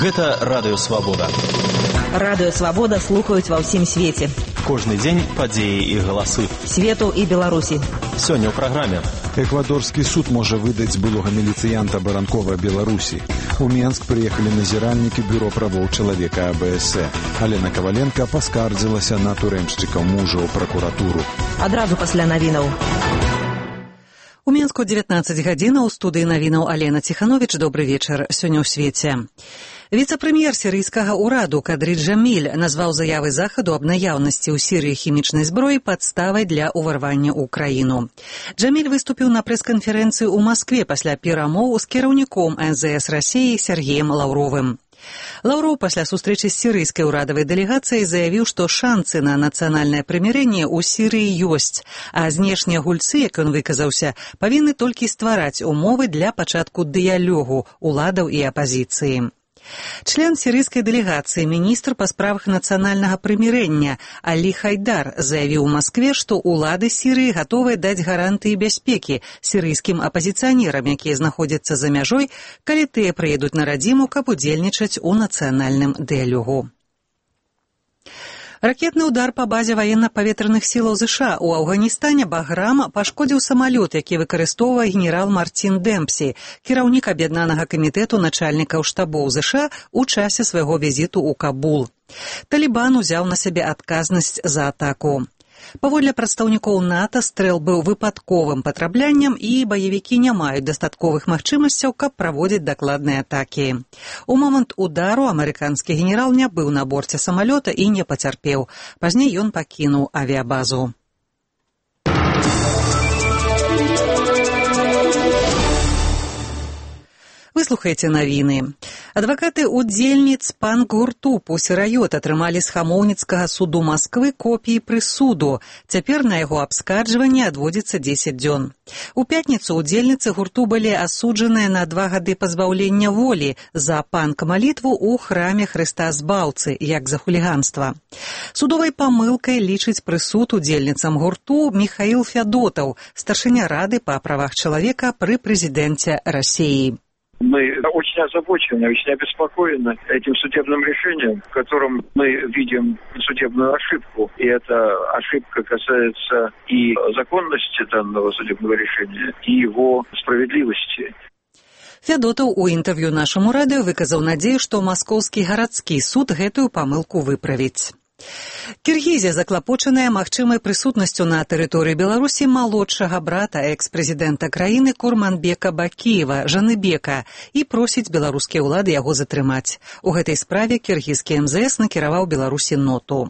Гэта Радыё Свабода. Радыё Свабода слухаюць ва ўсім свеце. Кожны дзень падзеі і галасы. Свету і Беларусі. Сёння ў праграме. Эквадорскі суд можа выдаць былога міліцыянта Баранкова Беларусі. У Менск прыехалі назіральнікі бюро правоў чалавека АБС. Алена Каваленка паскардзілася на турэмшчыкаў мужа ў пракуратуру. Адразу пасля навінаў. У Менску 19 гадзінаў, у студыі навінаў Алена Ціхановіч. Добры вечар. Сёння ў свеце. Віцэ-прэм'ер сірыйскага ўраду Кадры Джаміль назваў заявы Захаду аб наяўнасці ў Сірыі хімічнай зброі падставай для ўварвання ў краіну. Джаміль выступіў на прэс-канферэнцыі ў Маскве пасля перамоў з кіраўніком МЗС Расіі Сергеем Лаўровым. Лаўроў пасля сустрэчы з сірыйскай урадавай дэлегацыяй заявіў, што шанцы на нацыянальнае прымірэнне ў Сірыі ёсць, а знешнія гульцы, як ён выказаўся, павінны толькі ствараць умовы для пачатку дыялогу уладаў і апазіцыі. Член сірыйскай дэлегацыі, міністр па справах нацыянальнага прымірэння Алі Хайдар заявіў у Маскве, што ўлады Сірыі гатовыя даць гарантыі бяспекі сірыйскім апазіцыянерам, якія знаходзяцца за мяжой, калі тыя прыедуць на радзіму, каб удзельнічаць у нацыянальным дыялогу. Ракетны ўдар па базе ваенна-паветраных сілаў ЗША ў Афганістане «Баграм» пашкодзіў самалёт, які выкарыстоўвае генерал Мартин Дэмпсі, кіраўнік аб'яднанага камітэту начальнікаў штабоў ЗША у часе свайго візіту ў Кабул. Талібан узяў на сябе адказнасць за атаку. Паводле прадстаўнікоў НАТО, стрэл быў выпадковым патрабляннем і баевікі не маюць дастатковых магчымасцяў, каб праводзіць дакладныя атакі. У момант удару амерыканскі генерал не быў на борце самалёта і не пацярпеў. Пазней ён пакінуў авіябазу. Вы слухаеце навіны. Адвакаты удзельніц панк-гурту «Пусі-райот» атрымалі з хамоўніцкага суду Масквы копіі прысуду. Цяпер на яго абскарджванне адводзіцца 10 дзён. У пятніцу удзельніцы гурту былі асуджаныя на 2 гады пазбаўлення волі за панк-малітву ў храме Хрыста Збаўцы, як за хуліганства. Судовай памылкай лічыць прысуд удзельніцам гурту Міхаіл Фядотаў, старшыня Рады па правах чалавека пры прэзідэнце Расіі. Мы очень озабочены, очень обеспокоены этим судебным решением, в котором мы видим судебную ошибку. И эта ошибка касается и законности данного судебного решения, и его справедливости. Фядотаў у інтэрв'ю нашаму радыё выказаў надзею, што маскоўскі гарадскі суд гэтую памылку выправіць. Кіргізія заклапочаная магчымай прысутнасцю на тэрыторыі Беларусі малодшага брата экс-прэзідэнта краіны Курманбека Бакіева, Жаныбека, і просіць беларускія ўлады яго затрымаць. У гэтай справе кіргізскі МЗС накіраваў Беларусі ноту.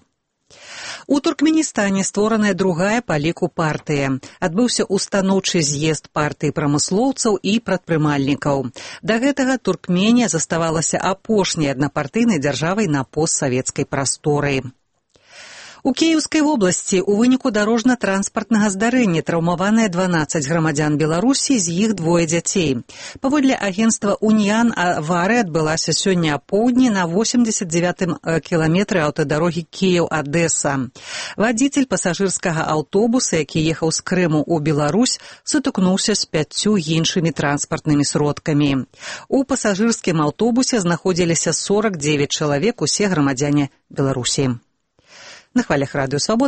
У Туркменістане створаная другая па ліку партыя. Адбыўся устаноўчы з'езд партыі прамыслоўцаў і прадпрымальнікаў. Да гэтага Туркменія заставалася апошняй аднапартыйнай дзяржавай на постсавецкай прасторы. У Кіеўскай вобласці ў выніку дарожна-транспартнага здарэння траўмаваныя 12 грамадзян Беларусі, з іх 2 дзяцей. Паводле агенцтва «Уніян» аварыя адбылася сёння апоўдні на 89-м кіламетры аўтадарогі Кіеў-Адэса. Вадзіцель пасажырскага аўтобуса, які ехаў з Крыму ў Беларусь, сутыкнуўся з 5 іншымі транспартнымі сродкамі. У пасажырскім аўтобусе знаходзіліся 49 чалавек, усе грамадзяне Беларусі. На хвалях Радыё Свабода